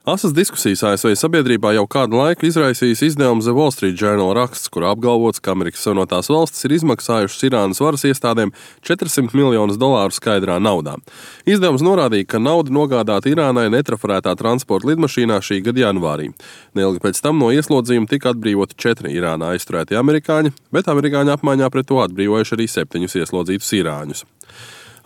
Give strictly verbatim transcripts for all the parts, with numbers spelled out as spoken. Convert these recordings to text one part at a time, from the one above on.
Asas diskusijas A S V sabiedrībā jau kādu laiku izraisījis izdevums The Wall Street Journal raksts, kurā apgalvots, ka Amerikas Savienotās valstis ir izmaksājušas Irānas varas iestādēm četrsimt miljonus dolāru skaidrā naudā. Izdevums norādīja, ka nauda nogādāta Irānai netrafarētā transporta lidmašīnā šī gada janvārī. Neilgi pēc tam no ieslodzījuma tika atbrīvoti četri Irānā aizturēti amerikāņi, bet amerikāņi apmaiņā pret to atbrīvojuši arī septiņus ieslodzītus irāņus.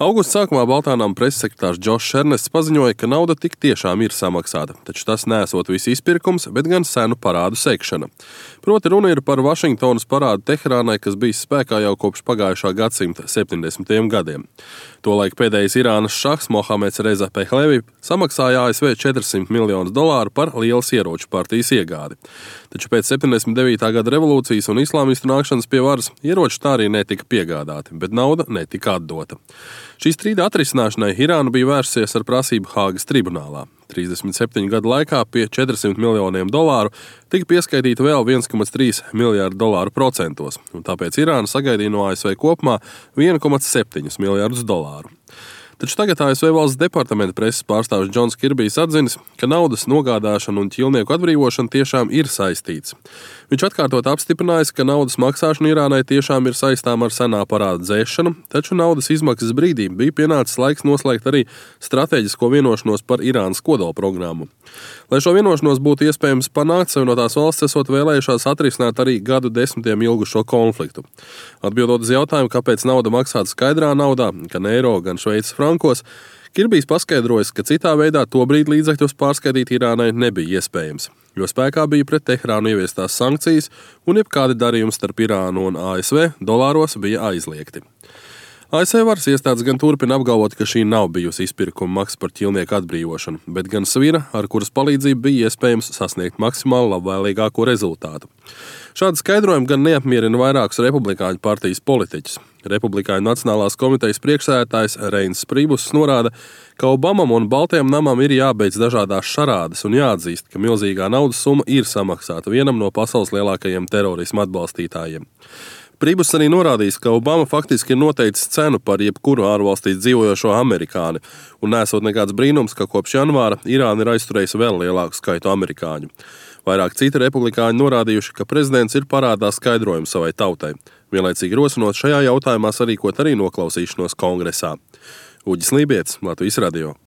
Augusta sākumā Baltānām preses sekretārs Džošs Ernests paziņoja, ka nauda tik tiešām ir samaksāta, taču tas nesot visu izpirkums, bet gan senu parādu sekšana. Proti runa ir par Vašingtonas parādu Teherānai, kas bijis spēkā jau kopš pagājušā gadsimta septiņdesmitajiem gadiem. Tolaik pēdējais Irānas šahs Mohameds Reza Pehlevi samaksāja A S V četrsimt miljonus dolāru par lielas ieroču partijas iegādi. Taču pēc septiņdesmit devītā gada revolūcijas un islāmistu nākšanas pie varas ieroči tā arī netika piegādāti, bet nauda netika atdota. Šī strīda atrisināšanai Irāna bija vērsusies ar prasību Hāgas tribunālā. trīsdesmit septiņu gadu laikā pie četrsimt miljoniem dolāru tika pieskaitīta vēl viens komats trīs miljārdu dolāru procentos, un tāpēc Irāna sagaidīja no A S V kopumā viens komats septiņi miljārdus dolāru. Taču tagad A S V valsts departamenta preses pārstāvis Džons Kirbijs atzinis, ka naudas nogādāšana un ķīlnieku atbrīvošana tiešām ir saistīts. Viņš atkārtot apstiprinājis, ka naudas maksāšana Irānai tiešām ir saistām ar senā parāda dzēšanu, taču naudas izmaksas brīdī bija pienācis laiks noslēgt arī stratēģisko vienošanos par Irānas kodolprogrammu. Lai šo vienošanos būtu iespējams panākt, Savienotās valstis esot vēlējušās atrisināt arī gadu desmitiem ilgušo konfliktu. Atbildot uz jautājumu, kāpēc nauda maksāta skaidrā naudā, gan eiro, gan šveices frankos, Kirbijs paskaidrojas, ka citā veidā tobrīd līdzekļus pārskaitīt Irānai nebija iespējams, jo spēkā bija pret Teherānu ieviestās sankcijas un jebkādi darījumi starp Irānu un A S V dolāros bija aizliegti. A S V varas iestādes gan turpina apgalvot, ka šī nav bijusi izpirkuma maksa par ķīlnieku atbrīvošanu, bet gan svira, ar kuras palīdzību bija iespējams sasniegt maksimāli labvēlīgāko rezultātu. Šādi skaidrojumi gan neapmierina vairākus republikāņu partijas politiķus. Republikāņu Nacionālās komitejas priekšsēdētājs Reins Pribus norāda, ka Obamam un Baltajam namam ir jābeidz dažādās šarādes un jāatzīst, ka milzīgā naudas summa ir samaksāta vienam no pasaules lielākajiem terorisma atbalstītājiem. Pribus arī norādījis, ka Obama faktiski ir noteicis cenu par jebkuru ārvalstīs dzīvojošo amerikāni, un nesot nekāds brīnums, ka kopš janvāra Irāna ir aizturējusi vēl lielāku skaitu amerikāņu. Vairāk citi republikāņi norādījuši, ka prezidents ir parādā skaidrojumu savai tautai, vienlaicīgi rosinot šajā jautājumā sarīkot arī noklausīšanos kongresā. Uģis Lībietis, Latvijas radio.